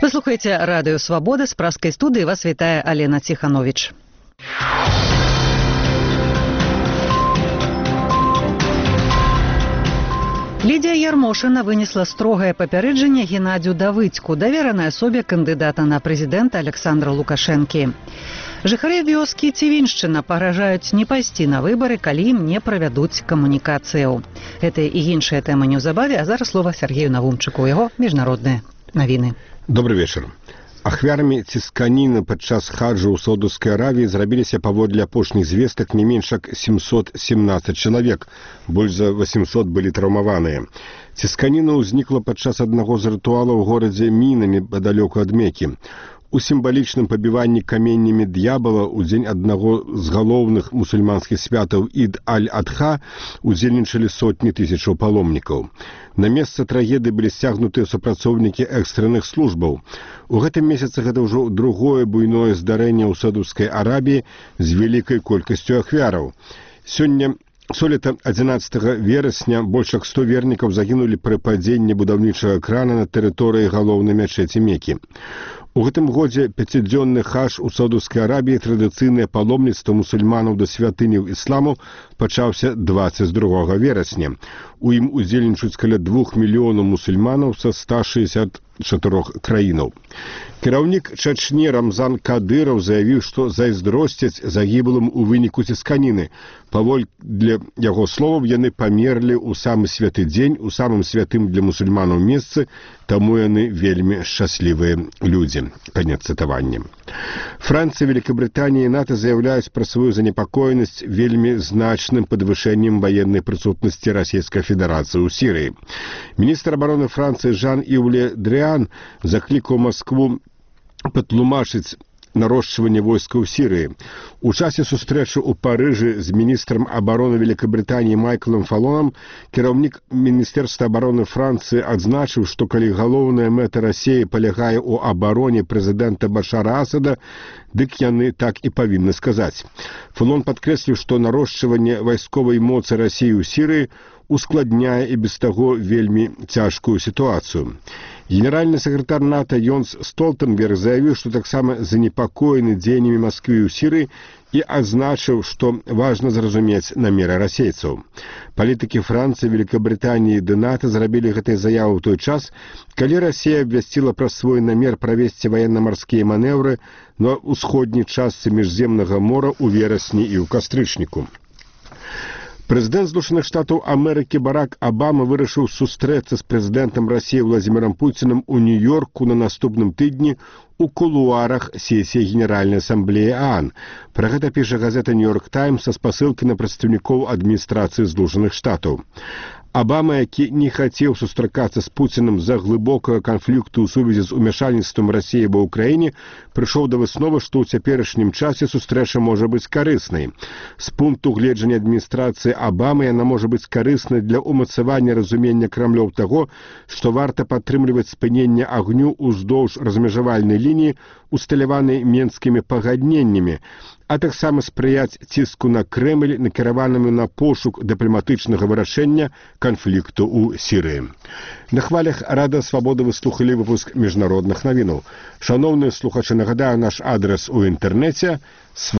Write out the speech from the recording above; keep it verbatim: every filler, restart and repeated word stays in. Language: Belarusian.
Вы слухаеце радыё Свабода, з праскай студыі вас вітае Алена Ціхановіч. Лідія Ярмошына вынесла строгае папярэджанне Геннадзю Давыдзьку, даверанай асобе кандыдата на прэзідэнта Александра Лукашэнкі. Жыхары вёскі Цівіншчына пагражаюць не пайсці на выбары, калі ім не правядуць камунікацыяў. Гэтыя і іншыя тэмы неўзабаве, а зараз слова Сергею Навумчыку, яго міжнародныя навіны. Добрый вечар. Ахвярамі цісканіны падчас хаджу ў Саудаўскай Аравіі зрабіліся паводле апошніх звестак не менш як семьсот семнадцать чалавек, больш за восемьсот былі траўмаваныя. Цісканіна ўзнікла падчас аднаго з рытуалаў у горадзе Міна непадалёку ад Мекі. У сімвалічным пабіванні каменнямі д'ябала ў дзень аднаго з галоўных мусульманскіх святаў Ід аль-Адха удзельнічалі сотні тысячаў паломнікаў. На месца трагедыі былі сцягнутыя супрацоўнікі экстранных службаў. У гэтым месяцы гэта ўжо другое буйное здарэнне ў Саудаўскай Арабіі з вялікай колькасцю ахвяраў. Сёння Сёлета адзінаццатага верасня больш як сто вернікаў загінулі пры падзенні будаўнічага крана на тэрыторыі галоўнай мячэці Мекі. У гэтым годзе пяцідзённы хадж у Саудаўскай Арабіі, традыцыйнае паломніцтва мусульманаў да святыняў ісламу, пачаўся дваццаць другога верасня. У ім удзельнічаюць каля двух мільёнаў мусульманаў са ста шэсцьдзесят чатырох краінаў. Кіраўнік Чачні Рамзан Кадыраў заявіў, што зайздросцяць загіблым у выніку цісканіны. Паводле яго словаў, яны памерлі ў самы святы дзень, у самым святым для мусульманаў месцы, таму яны вельмі шчаслівыя людзі. Канец цытавання. Францыя, Великабрытанія і НАТО заяўляюць пра сваю занепакоенасць вельмі значным падвышэннем ваеннай прысутнасці Расійскай Федэрацыі ў Сірыі. Міністр абароны Францыі Жан-Івле Дрыан заклікаў Маскву патлумачыць нарошчванне войска ў Сірыі. У часе сустрэчы ў Парыжы з міністрам абароны Великабрытаніі Майклом Фалонам кіраўнік Міністэрства абароны Францыі адзначыў, што калі галоўная мэта Расіі палягае ў абароне прэзідэнта Башара Асада, дык яны так і павінны сказаць. Фалон падкрэсліў, што нарошчванне вайсковай моцы Расіі ў Сірыі ускладняе і без таго вельмі цяжкую сітуацыю. Генеральны сакратар НАТО Йонс Столтенберг заявіў, што таксама занепакоены дзеяннямі Масквы ў Сірыі і адзначыў, што важна зразумець намеры расейцаў. Палітыкі Францыі, Великабрытаніі ды НАТО зрабілі гэтай заявы ў той час, калі Расія абвясціла пра свой намер правесці ваенна-марскія манеўры на ўсходняй частцы міжземнага мора ў верасні і ў кастрычніку. Прэзідэнт Злучаных Штатаў Амерыкі Барак Абама вырашыў сустрэцца з прэзідэнтам Расіі Владзімірам Пуціным у Нью-Йорку на наступным тыдні у кулуарах сесіі Генеральнай асамблеі ААН. Пра гэта піша газета «Нью-Йорк Таймс» са спасылкай на прадстаўнікоў адміністрацыі Злучаных Штатаў. Абама, які не хацеў сустракацца з Пуцінам з-за глыбокага канфлікту ў сувязі з умяшальніцтвам Расіі ва ўкраіне, прыйшоў да высновы, што ў цяперашнім часе сустрэча можа быць карыснай. З пункту гледжання адміністрацыі Абамы яна можа быць карыснай для ўмацавання разумення Крамлёў таго, што варта падтрымліваць спыненне агню ўздоўж размежавальнай лініі, усталяванай менскімі пагадненнямі, а таксама спрыяць ціску на Крэмль, накіраванаму на пошук дыпламатычнага вырашэння канфлікту ў Сірыі. На хвалях Радыё Свабода вы слухалі выпуск міжнародных навінаў. Шановныя слухачы, нагадаю наш адрес у інтэрнэце